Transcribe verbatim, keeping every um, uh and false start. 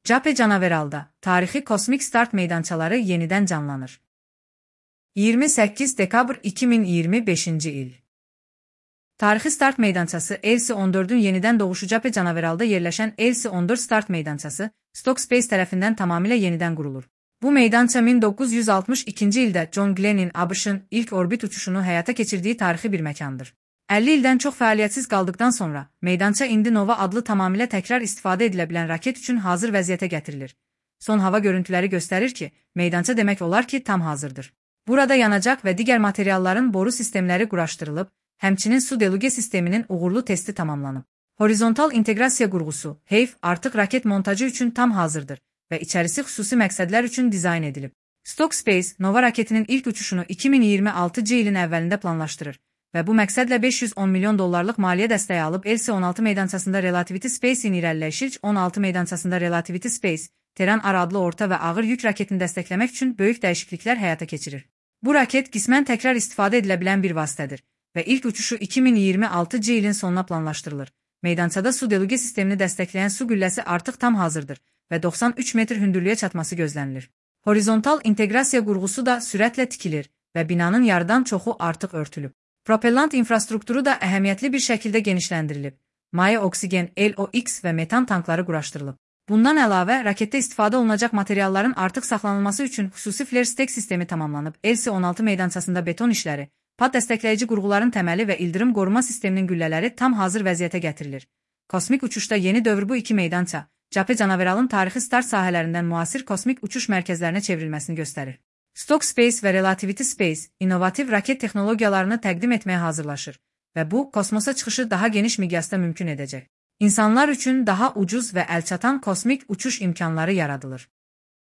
Cape Canaveral'da tarixi kosmik start meydançaları yenidən canlanır. iyirmi səkkiz dekabr iki min iyirmi beşinci il. Tarixi start meydançası Elsi on dördün yenidən doğuşu Cape Canaveral'da yerləşən Elsi on dörd start meydançası Stock Space tərəfindən tamamilə yenidən qurulur. Bu meydança min doqquz yüz altmış ikinci ildə John Glenn'in A B Ş'ın ilk orbit uçuşunu həyata keçirdiyi tarixi bir məkandır. əlli ildən çox fəaliyyətsiz qaldıqdan sonra, meydança indi Nova adlı tamamilə təkrar istifadə edilə bilən raket üçün hazır vəziyyətə gətirilir. Son hava görüntüləri göstərir ki, meydança demək olar ki, tam hazırdır. Burada yanacaq və digər materialların boru sistemləri quraşdırılıb, həmçinin su deluge sisteminin uğurlu testi tamamlanıb. Horizontal inteqrasiya qurğusu, H E Y F, artıq raket montajı üçün tam hazırdır və içərisi xüsusi məqsədlər üçün dizayn edilib. Stock Space, Nova raketinin ilk uçuşunu iki min iyirmi altıncı ilin əvvəlində planlaşdırır və bu məqsədlə beş yüz on milyon dollarlıq maliyyə dəstəyi alıb Elsi on altı meydançasında Relativity Space-in irəliləyişi on altı meydançasında Relativity Space, Terran R adlı orta və ağır yük raketini dəstəkləmək üçün böyük dəyişikliklər həyata keçirir. Bu raket qismən təkrar istifadə edilə bilən bir vasitədir və ilk uçuşu iki min iyirmi altıncı ilin sonuna planlaşdırılır. Meydançada su deluge sistemini dəstəkləyən su gülləsi artıq tam hazırdır və doxsan üç metr hündürlüyə çatması gözlənilir. Horizontal inteqrasiya qurğusu da sürətlə tikilir və binanın yarıdan çoxu artıq örtülüb. Propellant infrastrukturu da əhəmiyyətli bir şəkildə genişləndirilib. Maye oksigen, L O X və metan tankları quraşdırılıb. Bundan əlavə, raketdə istifadə olunacaq materialların artıq saxlanılması üçün xüsusi flare stack sistemi tamamlanıb. Elsi on altı meydançasında beton işləri, pad dəstəkləyici qurğuların təməli və ildırım qoruma sisteminin güllələri tam hazır vəziyyətə gətirilir. Kosmik uçuşda yeni dövr bu iki meydança, Cape Canaveral'ın tarixi start sahələrindən müasir kosmik uçuş mərkəzlərinə çevrilməsini göstərir. Stock Space və Relativity Space, innovativ raket texnologiyalarını təqdim etməyə hazırlaşır və bu, kosmosa çıxışı daha geniş miqyasda mümkün edəcək. İnsanlar üçün daha ucuz və əlçatan kosmik uçuş imkanları yaradılır.